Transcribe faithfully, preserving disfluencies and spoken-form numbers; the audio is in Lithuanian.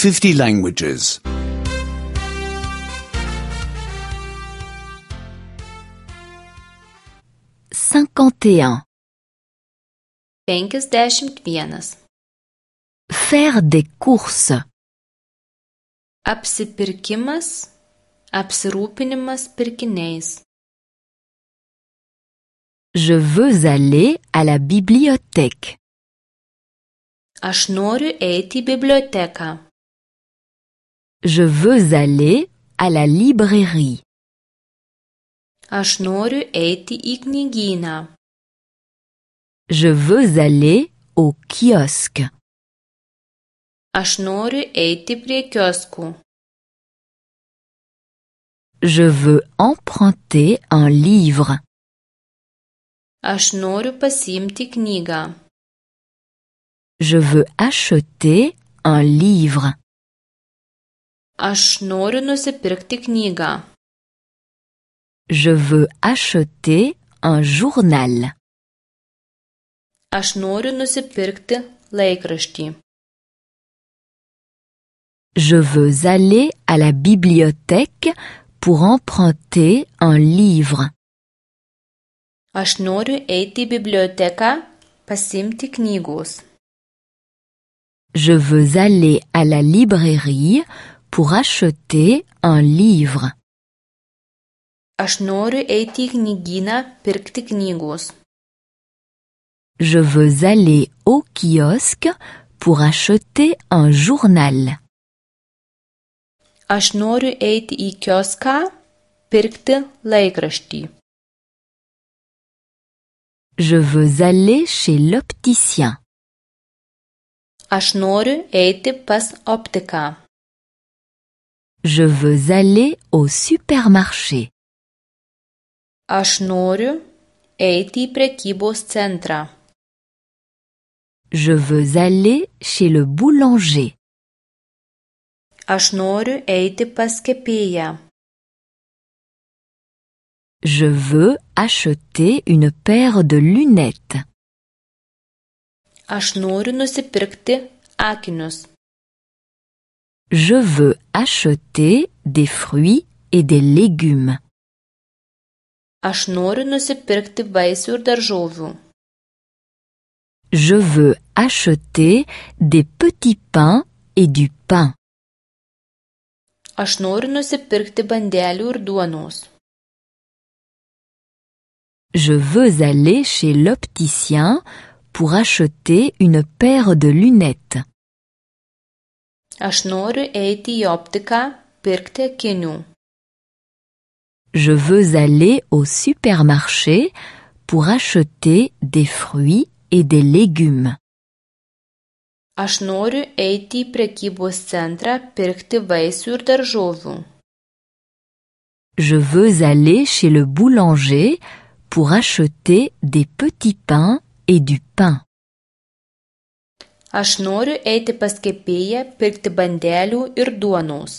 fifty languages. cinquante et un. Penkiasdešimt vienas. Faire des courses. Apsipirkimas, apsirūpinimas pirkiniais. Je veux aller à la bibliothèque. Aš noriu eiti į biblioteką. Je veux aller à la librairie. Aš noriu eiti į knygyną. Je veux aller au kiosque. Aš noriu eiti prie kioskų. Je veux emprunter un livre. Aš noriu pasiimti knygą. Je veux acheter un livre. Aš noriu nusipirkti knygą. Je veux acheter un journal. Aš noriu nusipirkti laikraštį. Je veux aller à la bibliothèque pour emprunter un livre. Aš noriu eiti į biblioteką pasiimti knygos. Je veux aller à la librairie pour acheter un livre. Aš noriu eiti į knygyną pirkti knygos. Je veux aller au kiosque pour acheter un journal. Aš noriu eiti į kioską pirkti laikraštį. Je veux aller chez l'opticien. Aš noriu eiti pas optiką. Je veux aller au supermarché. Aš noriu eiti į prekybos centrą. Je veux aller chez le boulanger. Aš noriu eiti pas kepėją. Je veux acheter une paire de lunettes. Aš noriu nusipirkti akinius. Je veux acheter des fruits et des légumes. Aš noriu nusipirkti vaisių ir daržovių. Je veux acheter des petits pains et du pain. Aš noriu nusipirkti bandelių ir duonos. Je veux aller chez l'opticien pour acheter une paire de lunettes. Aš noriu eiti į optiką pirkti akinių. Je veux aller au supermarché pour acheter des fruits et des légumes. Aš noriu eiti į prekybos centrą pirkti vaisių ir daržovių. Je veux aller chez le boulanger pour acheter des petits pains et du pain. Aš noriu eiti pas kepėją pirkti bandelių ir duonos.